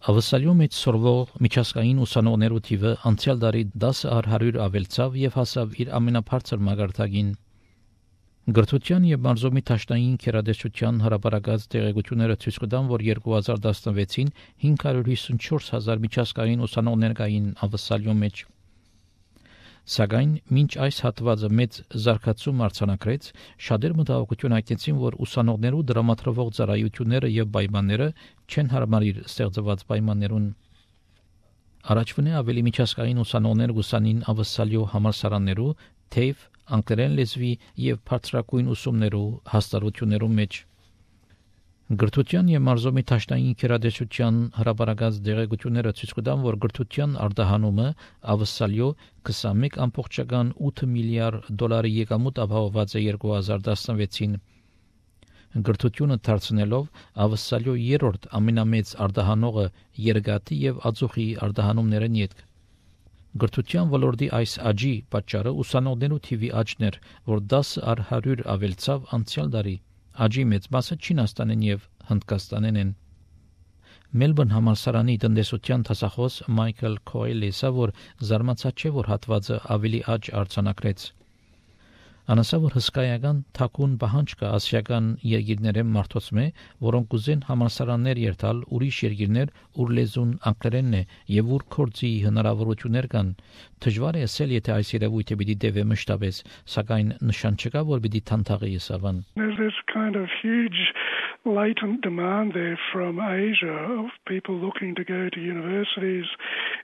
Ավսալյո մեջ սորվող միջազգային ուսանողներու թիվը անցյալ տարի 10,100 ավելցավ եւ հասավ իր ամենաբարձր մագարտակին։ Գրթության եւ մարզումի տաշնային քերադեսության հրապարակած տեղեկությունները ցույց կտան, որ 2016-ին 554,000 միջազգային ուսանողներ կային Ավսալյո մեջ։ Սակայն մինչ այս հատվածը մեծ զարգացում արձանագրեց, շատեր մտահոգություն հայտնեցին, որ ուսանողներու դրամատրվող ծառայությունները եւ պայմանները չեն հարմարիր ստեղծված պայմաններուն։ Առաջվնե ավելի միջազգային ուսանողներ ուսանին Ավսալյո համալսարաններու, թեև անգլերեն լեզվի եւ բարձրակույն ուսումներու հաստատություններու մեջ։ Գրթության եւ մարզումի տաշնային քերադեսության հրապարակած տեղեկությունները ցույց կտան, որ գրթության արտահանումը Ավսալյո 21.8 միլիարդ դոլարի եկամուտ ապահովված է 2016-ին։ Գրթությունը դարձնելով Ավսալյո երրորդ ամենամեծ արտահանողը երկաթի եւ ածուխի արտահանումներն յետք։ Գրթության ոլորտի այս աճի պատճառը ուսանողներու թիվի աճն էր, որ 10,100 ավելցավ անցյալ տարի։ Աճի մեծ մասը Չինաստանեն եւ Հնդկաստանեն են։ Մելբուրն համալսարանի տնտեսության դասախոս Մայքլ Քոյլը ասա, որ զարմացած չէ, որ հատվածը ավելի աճ արձանագրեց։ Անասա, որ հսկայական թակուն պահանջ կա ասիական երկիրներեն մարդոցմե, որոնք ուզեն համալսարաններ երթալ ուրիշ երկիրներ, ուր լեզուն անգլերենն է եւ ուր կորցի հնարավորություններ կան։ Դժվար է ասել, եթե այս երևույթը պիտի դեպի մշտապես, սակայն նշան չկա, որ պիտի թանթաղի սավան։ There's kind of huge latent demand there from Asia of people looking to go to universities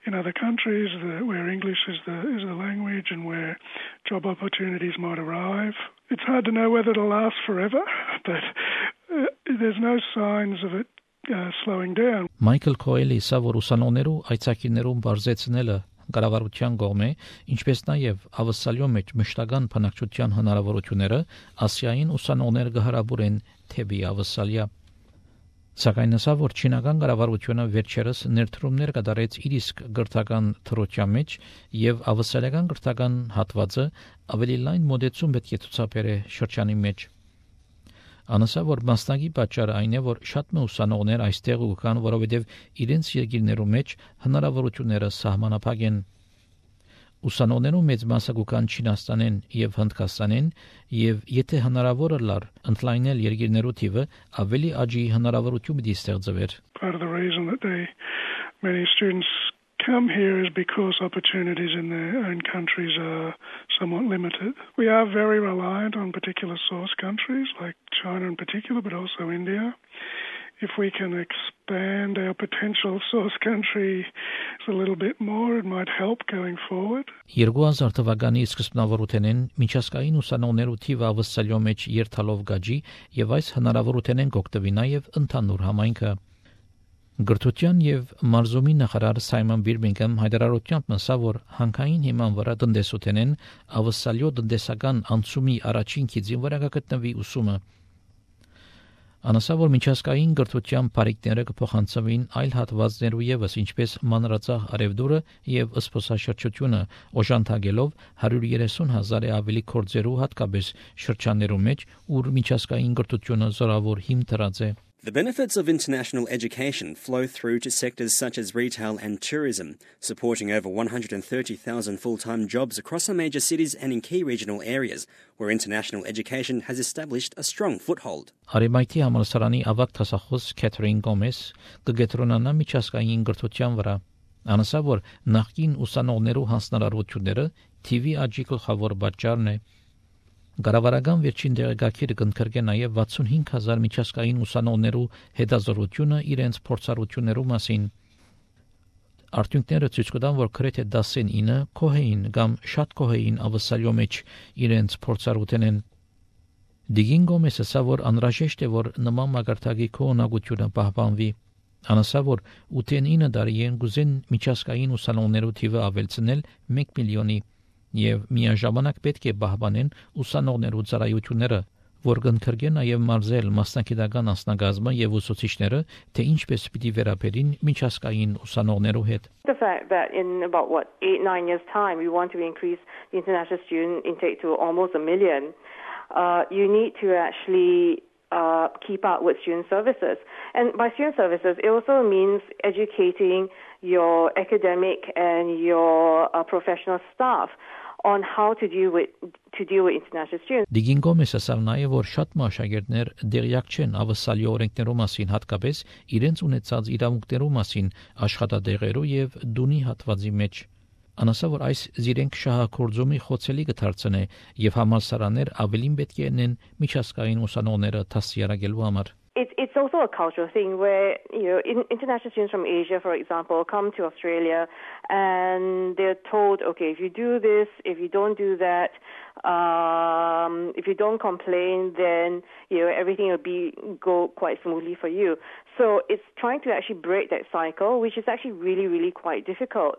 in other countries where English is the language and where job opportunities might arrive. It's hard to know whether it'll last forever, but there's no signs of it slowing down. Մայքլ Քոյլը ասա, որ ուսանողներու այցակիներուն բարձեցնելը կառավարության կողմէ, ինչպես նաև Ավսալյո մեջ մշտական բնակչության հնարավորությունները Ասիային ուսանողներ կհրաբուրեն թեպի Ավսալիա։ Սակայն ասա, որ չինական կառավարությունը վերջերս ներդրումներ կատարեց իր իսկ գրթական թրոճան մեջ եւ ավսալական գրթական հատվածը ավելի լայն մոդեցում պետք է ցուցաբերե շրջանի մեջ։ Անասա, որ մասնակի պատճառը այն է, որ շատ ուսանողներ այստեղ կան, որովհետև իրենց երկիրներու մեջ հնարավորությունները սահմանափակ են։ Ուսանողներու մեծ մասը կան Չինաստանեն եւ Հնդկաստանեն, եւ եթե հնարավոր լար ընդլայնել երկիրներու թիվը, ավելի աճի հնարավորություն պիտի ստեղծվեր։ Part of the reason that many students come here is because opportunities in their own countries are somewhat limited. We are very reliant on particular source countries like China in particular, but also India. If we can expand our potential source country a little bit more, it might help going forward. 2000 թվականի սկզբնավորութենեն միջազգային ուսանողներու թիվը Ավսալյո մեջ երթալով գաջի եւ այս հնարավորութենեն կօգտվի նաեւ ընդհանուր համայնքը։ Գրթության եւ մարզումի նախարար Սայմոն Բիրմինգհամ հայտարարությամբ ասա, որ հանքային հիման վրա տնտեսութենեն Ավսալյո տնտեսական անցումի առաջին քիծին վրա կգտնվի ուսումը։ Անասա, որ միջազգային գրթության բարիկները կփոխանցվին այլ հատվածներու եւս, ինչպես մանրածախ արևդուրը եւ սփոսաշրջությունը, օժանդակելով 130,000 ավելի կորձերու հատկապես շրջաններու մեջ, ուր միջազգային գրթությունը զորավոր հիմք դրած է։ The benefits of international education flow through to sectors such as retail and tourism, supporting over 130,000 full-time jobs across some major cities and in key regional areas, where international education has established a strong foothold. Արեմայթի համալսարանի ավագ դասախոս Քեթրին Գոմես կգետրոնանա միջազգային գրթության վրա։ Անասա, որ նախկին ուսանողներու հանձնարարությունները TV աճի գլխավոր պատճառն է։ Գարավարական վերջին դեղեկագիրը կընդգրկե նաև 65,000 միջազգային ուսանողներու հետազոտությունը իրենց փորձառություններու մասին։ Արդյունքները ցույց կտան, որ գրեթե 19 կոհեին կամ շատ կոհեին Ավսալյո մեջ իրենց փորձառությունն են։ Դիգին Գոմեսը ասա, որ անհրաժեշտ է, որ նման մագարտակի կողմնակությունը պահպանվի։ Անասա, որ 89 տարիեն գուզեն միջազգային ուսանողներու թիվը ավելցնել 1 միլիոնի եւ միաժամանակ պետք է պահպանեն ուսանողներու ծառայությունները, որ կընդգրկեն նաեւ մարզել մասնակիտական անձնագազմը եւ ուսուցիչները, թե ինչպես պիտի վերաբերին միջազգային ուսանողներու հետ։ The fact that in about 8-9 years time we want to increase the international student intake to almost 1 million, you need to actually keep up with student services. And by student services, it also means educating your academic and your professional staff on how to deal with international students. Դիգին Գոմեսը ասավ նաև, որ շատ աշակերտներ դեղյակ չեն ավսալի օրենքներու մասին, հատկապես իրենց ունեցած իրավունքներու մասին աշխատադեղերու եւ դունի հատվածի մեջ։ Անասա որ այս զիրենք շահագործումի խոցելի կդարձնե եւ համալսարաններ ավելին պետք է ունեն միջազգային ուսանողները դասյարակելու համար։ It's also a cultural thing where, international students from Asia, for example, come to Australia and they're told, okay, if you do this, if you don't do that, if you don't complain, then, everything will go quite smoothly for you. So it's trying to actually break that cycle, which is actually really, really quite difficult.